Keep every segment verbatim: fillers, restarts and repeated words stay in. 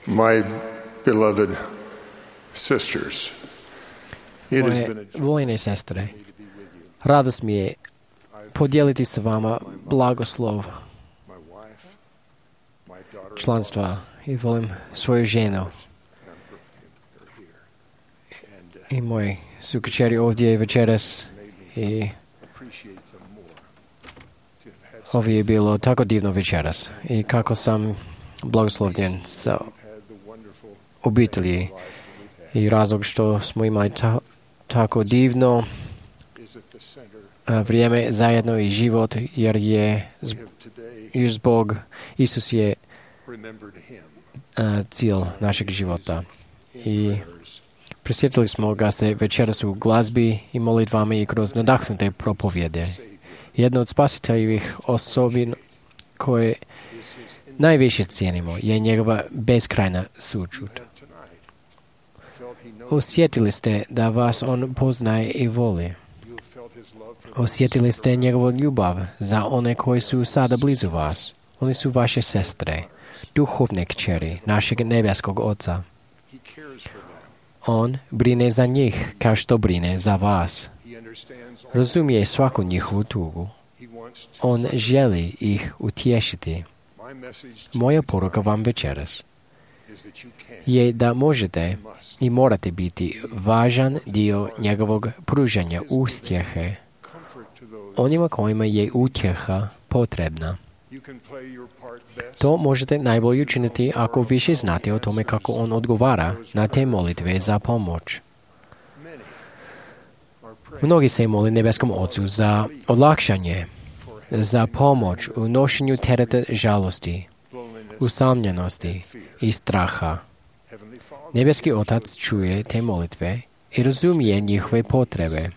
My beloved sisters, it has Moje been a joy voljene sestre, radost mi je podijeliti sa vama blagoslov my wife, my daughter, članstva i volim svoju ženu and her here, and uh, i moji su kćeri ovdje večeras i appreciate them more to have had ovo je bilo tako divno večeras i kako sam blagoslovljen sa had the wonderful obitelji life that we've had i razlog što smo imali ta, tako divno is at the center. a, vrijeme zajedno i život jer je We z- have today jer zbog Isus je remembered him a, cilj našeg života. in I prayers. prisjetili smo ga se večeras u glazbi i molitvama i kroz nadahnute propovjede. Savior Jedna od spasiteljivih osobin koje is his in- najviše cijenimo je njegova beskrajna sućut. have tonight felt he knows Osjetili ste da vas on poznaje i voli. you have felt his love for Osjetili ste njegovu ljubav za one koji su sada blizu vas. Oni su vaše sestre, duhovne kćeri našeg nebeskog Oca. he cares for them. On brine za njih kao što brine za vas. He understands all. Razumije svaku njihovu tugu. He wants to On succor. želi ih utješiti. My message to Moja you poruka tonight vam večeras is that you can je da možete must i morate biti važan dio njegovog pružanja utjehe comfort to those. onima kojima je utjeha potrebna. You can play your part best. To možete najbolje učiniti ako više znate o tome kako on odgovara na te molitve za pomoć. Many are praying Mnogi se moli nebeskom Ocu za olakšanje, for help, za pomoć u nošenju tereta žalosti, loneliness, usamljenosti i straha. Heavenly Father. Nebeski Otac čuje te molitve i razumije njihove potrebe.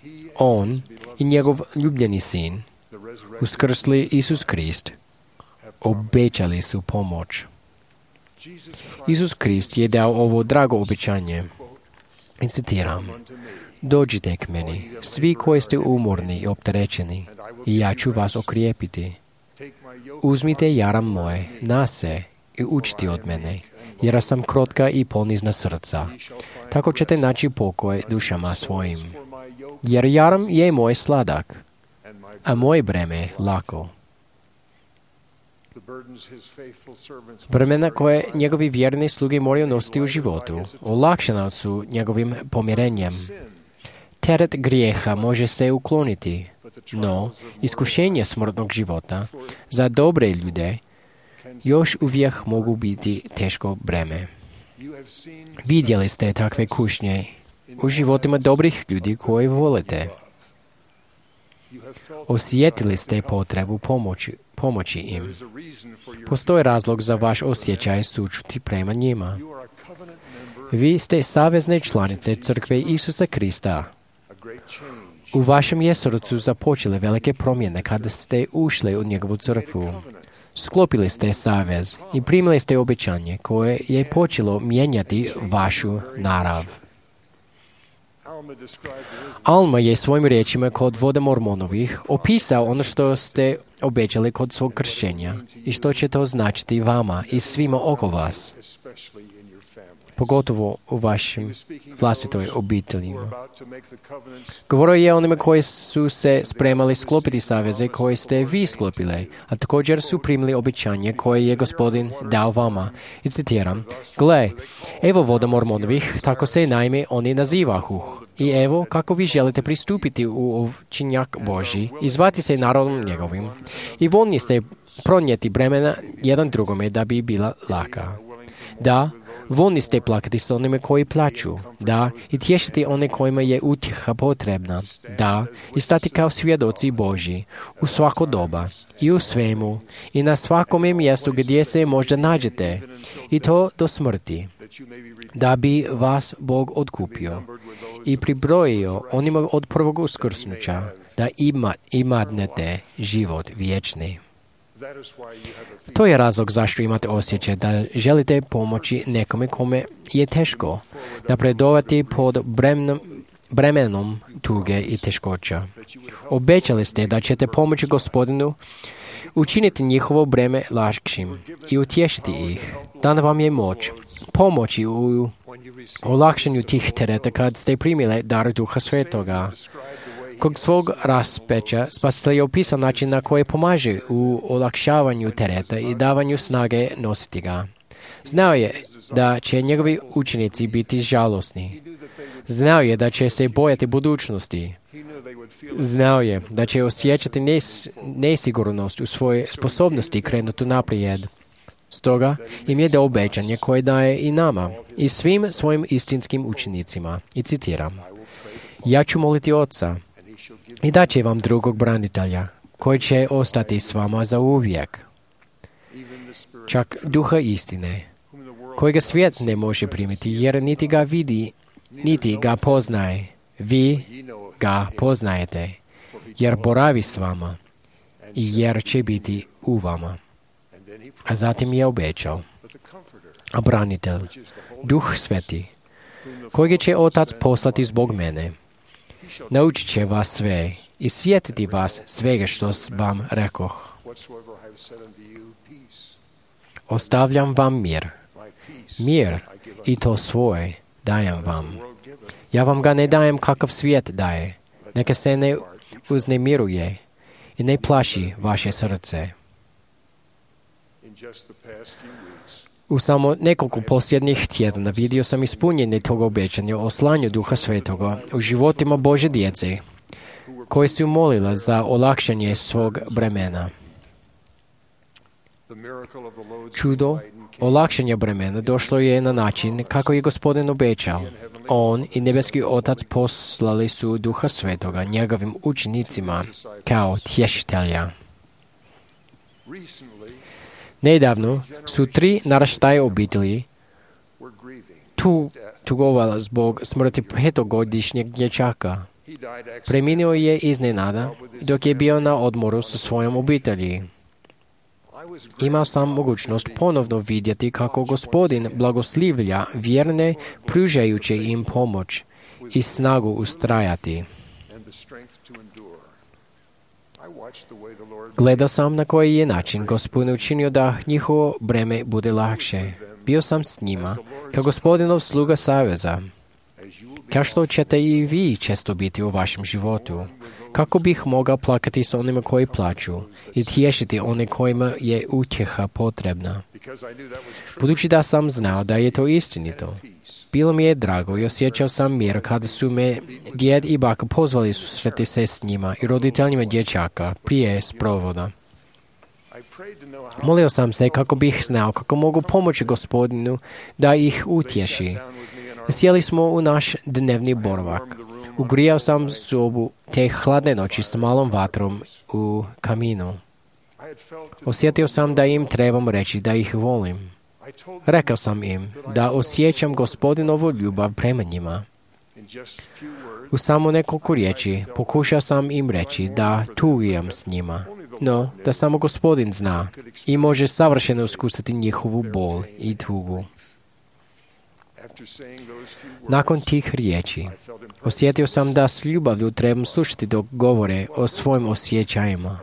He On and his beloved i njegov ljubljeni sin, the resurrected uskrsli Isus Krist, have promised. obećali su pomoć. Jesus Christ Isus Krist je dao ovo drago obećanje. quote, I citiram, unto me, dođite k meni, svi koji ste umorni i opterećeni, and I will i give ja you ću vas rest. okrijepiti. Take my yoke Uzmite upon you jaram and moje learn of me, na se i učiti od mene, jer sam krotka i ponizna srca. ye shall find Tako ćete rest naći pokoj unto dušama your souls, svojim. for my yoke Jer jaram je moj sladak, and my a moje breme lako. the burdens his faithful servants must Bremena carry koje in life. njegovi vjerni sluge moraju nositi u životu, olakšana su njegovim pomirenjem. Sin, Teret grijeha može se ukloniti, but the no trials of iskušenje smrtnog života za dobre ljude can još uvijek mogu biti teško breme. you have seen Vidjeli ste takve kušnje u životima dobrih ljudi koji volite. you have felt Osjetili ste potrebu pomoći, pomoći there im. is a reason for your Postoji razlog za vaš osjećaj sućuti prema njima. you are a covenant member, Vi ste savezne članice Crkve Isusa Krista. a great change. U vašem je srcu započele velike promjene kada ste ušli u njegovu crkvu. Covenant. Sklopili ste savez i primili ste obećanje koje je počelo mijenjati vašu narav. Alma described wisdom Alma je svojim riječima kod voda Mormonovih opisao ono što ste obećali kod svog kršćenja i što će to značiti vama i svima oko vas, especially in your family. pogotovo u vašim vlastitoj obitelji. Who are about to make the covenants Govorio je onima koji su se spremali sklopiti saveze koje ste vi sklopili, a također su primili obećanje koje je Gospodin dao vama. I citiram, gle, evo voda Mormonovih, tako se naime oni nazivahu. I evo kako vi želite pristupiti u ovčinjak Božji i zvati se narodom njegovim. I voljni ste pronijeti bremena jedan drugome da bi bila laka. Da, voljni ste plakati s onime koji plaću. Da, i tješiti one kojima je utjeha potrebna. Da, i stati kao svjedoci Božji u svako doba i u svemu i na svakome mjestu gdje se možda nađete i to do smrti, that you may be redeemed da bi vas Bog odkupio i pribrojio onima od prvog uskrsnuća da ima, imadnete život vječni. That is why you have a feeling To je razlog zašto imate osjećaj da želite pomoći nekome kome je teško napredovati pod bremenom, bremenom tuge i teškoća. Obećali ste da ćete pomoći Gospodinu učiniti njihovo breme lakšim i utješiti ih. Dana vam je moć pomoći u olakšanju tih tereta kad ste primili dar Duha Svetoga. Kod svog raspeća Spasitelj je opisao način na koji pomaže u olakšavanju tereta i davanju snage nositi ga. Znao je da će njegovi učenici biti žalosni. Znao je da će se bojati budućnosti. Znao je da će osjećati nes- nesigurnost u svojoj sposobnosti krenuti naprijed. Stoga im je dao obećanje koje daje i nama i svim svojim istinskim učenicima. I citiram: ja ću moliti Oca i dat će vam drugog branitelja koji će ostati s vama za uvijek. Čak Duha istine, kojega svijet ne može primiti jer niti ga vidi, niti ga poznaje. Vi ga poznajete jer boravi s vama i jer će biti u vama. A zatim je obećao: a branitelj, Duh Sveti, kojeg će Otac poslati zbog mene, naučit će vas sve i sjetiti vas svega što vam rekoh. Ostavljam vam mir. Mir, i to svoj, dajem vam. Ja vam ga ne dajem kakav svijet daje. Neka se ne uznemiruje i ne plaši vaše srce. U samo nekoliko posljednjih tjedana vidio sam ispunjenje tog obećanja o slanju Duha Svetoga u životima Božje djece, koji su molila za olakšanje svog bremena. Čudo olakšanja bremena došlo je na način kako je Gospodin obećao. On i nebeski Otac poslali su Duha Svetoga njegovim učenicima kao tješitelja. Nedavno su tri naraštaje obitelji tu, tugovala zbog smrti petogodišnjeg dječaka. Preminuo je iznenada dok je bio na odmoru sa svojom obitelji. Imao sam mogućnost ponovno vidjeti kako Gospodin blagoslivlja vjerne pružajući im pomoć i snagu ustrajati. Gledao sam na koji je način Gospodin učinio da njihovo breme bude lakše. Bio sam s njima, kao Gospodinov sluga saveza. Kao što ćete i vi često biti u vašem životu. Kako bih mogao plakati s onima koji plaću i tješiti one kojima je utjeha potrebna. Budući da sam znao da je to istinito, bilo mi je drago i osjećao sam mir kada su me djed i baka pozvali susreti se s njima i roditeljima dječaka prije sprovoda. Molio sam se kako bih znao kako mogu pomoći Gospodinu da ih utješi. Sjeli smo u naš dnevni boravak. Ugrijao sam sobu te hladne noći s malom vatrom u kaminu. Osjetio sam da im trebam reći da ih volim. Rekao sam im da osjećam Gospodinovu ljubav prema njima. U samo nekoliko riječi pokušao sam im reći da tugujem s njima, no da samo Gospodin zna i može savršeno iskusiti njihovu bol i tugu. Nakon tih riječi osjetio sam da s ljubavlju trebam slušati dok govore o svojim osjećajima.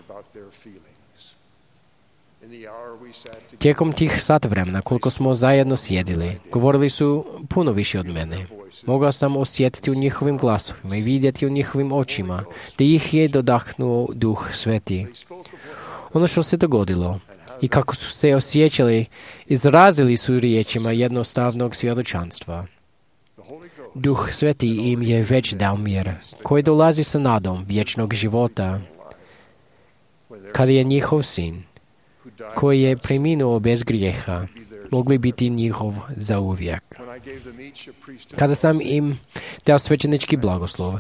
Tijekom tih sat vremena koliko smo zajedno sjedili, govorili su puno više od mene. Mogao sam osjetiti u njihovim glasovima i vidjeti u njihovim očima da ih je dodahnuo Duh Sveti. Ono što se dogodilo i kako su se osjećali, izrazili su riječima jednostavnog svjedočanstva. Duh Sveti im je već dao mir, koji dolazi sa nadom vječnog života. Kada je njihov sin, koji je preminuo bez grijeha, mogli biti njihov zauvijek. Kada sam im dao svećenički blagoslov,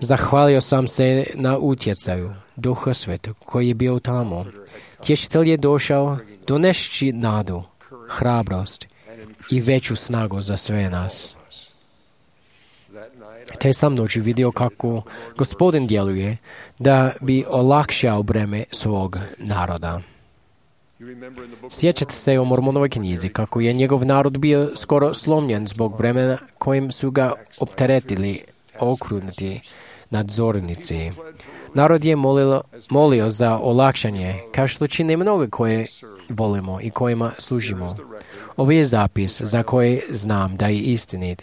zahvalio sam se na utjecaju Duha Svetog koji je bio tamo. Tješitelj je došao donešći nadu, hrabrost i veću snagu za sve nas. Te sam noći vidio kako Gospodin djeluje da bi olakšao breme svog naroda. Sjećate se u Mormonovoj knjizi kako je njegov narod bio skoro slomljen zbog bremena kojim su ga opteretili okrutni nadzornici. Narod je molilo, molio za olakšanje, kao što čine mnoge koje volimo i kojima služimo. Ovo je zapis za koji znam da je istinit.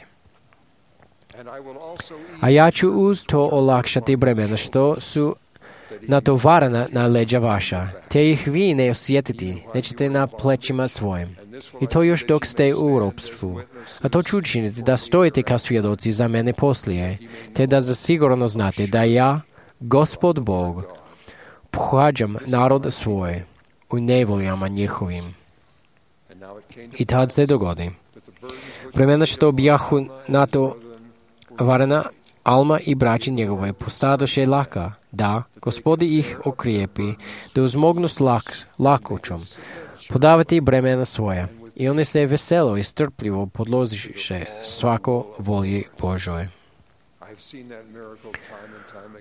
A ja ću uz to olakšati bremena što su natovarena na leđa vaša, te ih vi ne osjetiti, nećete na plećima svojim. I to još dok ste u ropstvu. A to ću učiniti da stojite kao svjedoci za mene poslije, te da zasigurno znate da ja, Gospod Bog, pohađam narod svoj u nevoljama njihovim. I tad se dogodi. Vremena što bjahu na to varena Alma i braći njegove postadoše laka, da Gospodi ih okrijepi, da uzmognu s lak, lakoćom podavati bremena svoja. I oni se veselo i strpljivo podložiše svako volji Božoj.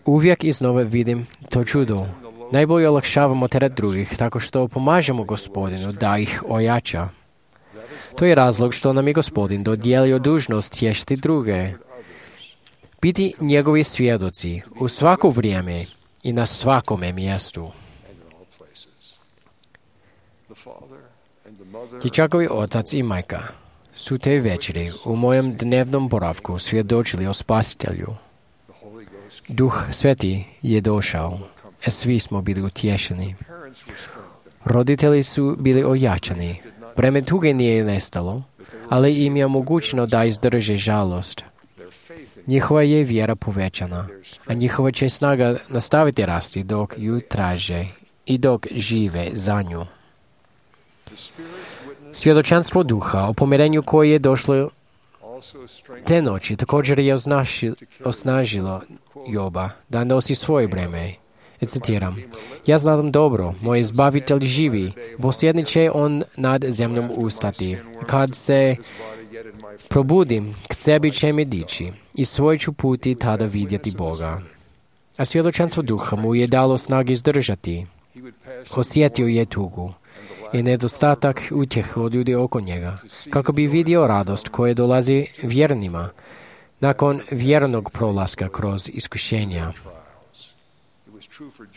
Uvijek iznova vidim to čudo. Najbolje olakšavamo teret drugih tako što pomažemo Gospodinu da ih ojača. To je razlog što nam je Gospodin dodijelio dužnost tješiti druge. Biti njegovi svjedoci u svako vrijeme i na svakome mjestu. Dječakovi otac i majka su te večeri u mojem dnevnom boravku svjedočili o Spasitelju. Duh Sveti je došao, a svi smo bili utješeni. Roditelji su bili ojačani, breme tuge nije nestalo, ali im je omogućeno da izdrže žalost. Njihova je vjera povećana, a njihova će snaga nastaviti rasti dok ju traže i dok žive za nju. Svjedočanstvo duha o pomirenju koje je došlo te noći također je osnažilo Joba da nosi svoje breme. I citiram, ja znam dobro, moj izbavitelj živi, posljednji će on nad zemljom ustati. Kad se probudim, k sebi će me dići i svoj ću puti tada vidjeti Boga. A svjedočanstvo duha mu je dalo snage izdržati. Osjetio je tugu i nedostatak utjehe od ljudi oko njega, kako bi vidio radost koja dolazi vjernima nakon vjernog prolaska kroz iskušenja.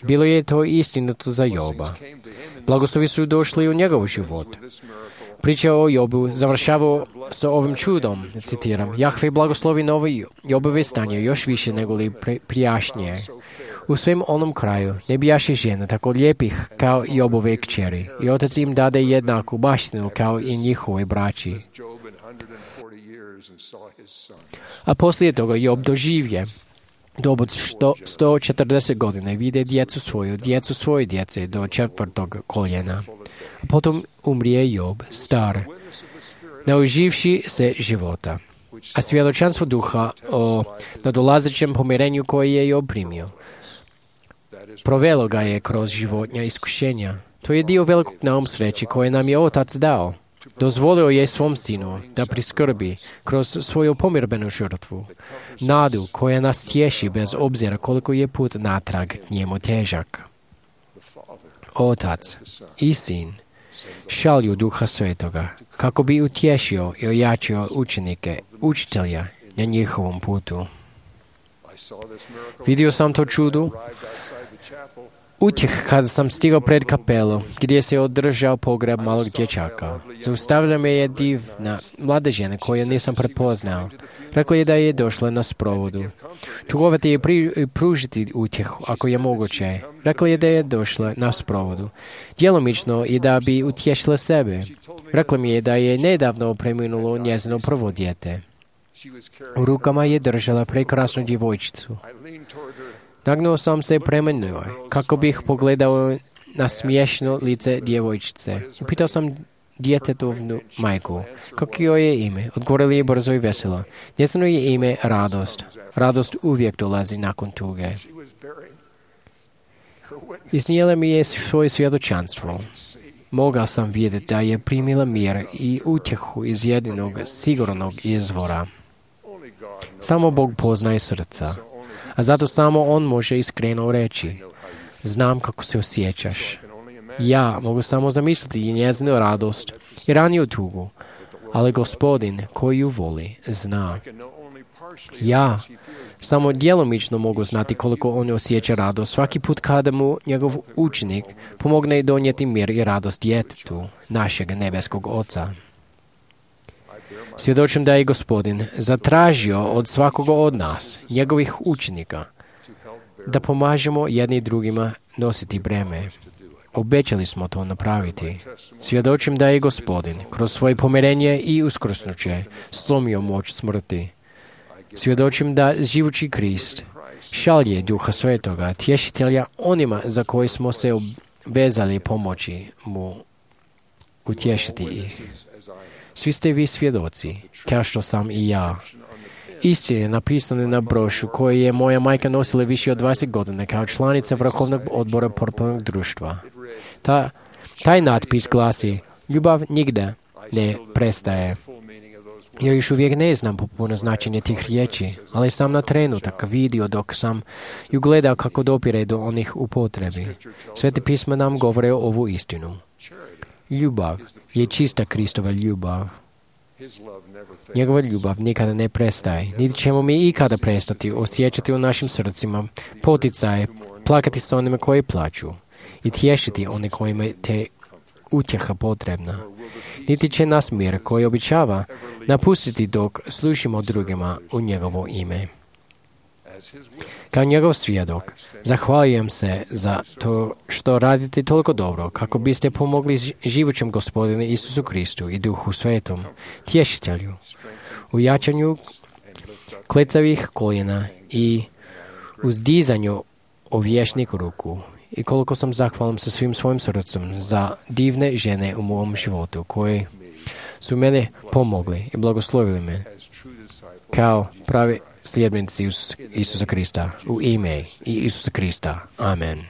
Bilo je to istinito za Joba. Blagoslovi su došli u njegov život. Priča o Jobu završava s ovim čudom, citiram, Jahve blagoslovi novi Jobove stanje još više nego li prijašnje. U svem onom kraju ne bijaše žena tako lijepih kao Jobove kćeri i otac im dade jednaku baštinu kao i njihove braći. A poslije toga Job doživje dob od sto četrdeset godina vide djecu svoju, djecu svoje djece do četvrtog koljena. A potom umrije Job, star, nauživši se života. A svjedočanstvo duha o nadolazećem pomirenju koje je Job primio provelo ga je kroz životnja iskušenja. To je dio velikog naum sreće koje nam je Otac dao. Dozvolio je svom sinu da priskrbi kroz svoju pomirbenu žrtvu nadu koja nas tješi bez obzira koliko je put natrag k njemu težak. Otac i sin šalju Duha Svetoga kako bi utješio i ojačio učenike, učitelja na njihovom putu. Vidio sam to čudo utjeh kada sam stigao pred kapelu gdje se održao pogreb malog dječaka. Zaustavila me je divna mlada žena koju nisam prepoznao. Rekla je da je došla na sprovodu. Tugovati je pri, pružiti utjehu ako je moguće. Rekla je da je došla na sprovodu. Djelomično i da bi utješila sebe. Rekla mi je da je nedavno preminulo njezino prvo dijete. U rukama je držala prekrasnu djevojčicu. Nagnuo sam se prema njoj, kako bih pogledao na smiješno lice djevojčice. Upitao sam djetetovnu majku, kako joj je ime. Odgovorili je brzo i veselo. Njezino je ime Radost. Radost uvijek dolazi nakon tuge. Iznijela mi je svoje svjedočanstvo. Mogao sam vidjeti da je primila mir i utjehu iz jedinog sigurnog izvora. Samo Bog poznaje srca. A zato samo On može iskreno reći, znam kako se osjećaš. Ja mogu samo zamisliti i njezinu radost i raniju tugu, ali Gospodin koji ju voli zna. Ja samo djelomično mogu znati koliko on osjeća radost svaki put kada mu njegov učenik pomogne donijeti mir i radost djetetu našeg nebeskog Oca. Svjedočim da je Gospodin zatražio od svakoga od nas, njegovih učenika, da pomažemo jedni drugima nositi breme. Obećali smo to napraviti. Svjedočim da je Gospodin kroz svoje pomirenje i uskrsnuće slomio moć smrti. Svjedočim da živući Krist šalje Duha Svetoga, tješitelja onima za koje smo se obvezali pomoći mu utješiti ih. Svi ste vi svjedoci, kao što sam i ja. Istina je napisano na brošu koju je moja majka nosila više od dvadeset godina kao članica Vrhovnog odbora portalnog društva. Ta, taj natpis glasi: ljubav nigde ne prestaje. Ja još uvijek ne znam popuno značenje tih riječi, ali sam na trenutak vidio dok sam ju gledao kako dopire do onih u potrebi. Sveti pisma nam govore o ovu istinu. Ljubav je čista Kristova ljubav. Njegova ljubav nikada ne prestaje, niti ćemo mi ikada prestati osjećati u našim srcima poticaje, plakati s onima koji plaću i tješiti one kojima te utjeha potrebna. Niti će nas mir koji običava napustiti dok slušimo drugima u njegovo ime. Kao njegov svjedok, zahvaljujem se za to što radite toliko dobro kako biste pomogli živućem Gospodinu Isusu Kristu i Duhu Svetom, tješitelju, u jačanju klecavih koljena i uzdizanju ovješnih ruku. I koliko sam zahvalan sa svim svojim srcem za divne žene u mom životu koje su mene pomogli i blagoslovili me kao pravi sljedbenici Isusa Krista, u ime i Isusa Krista. Amen.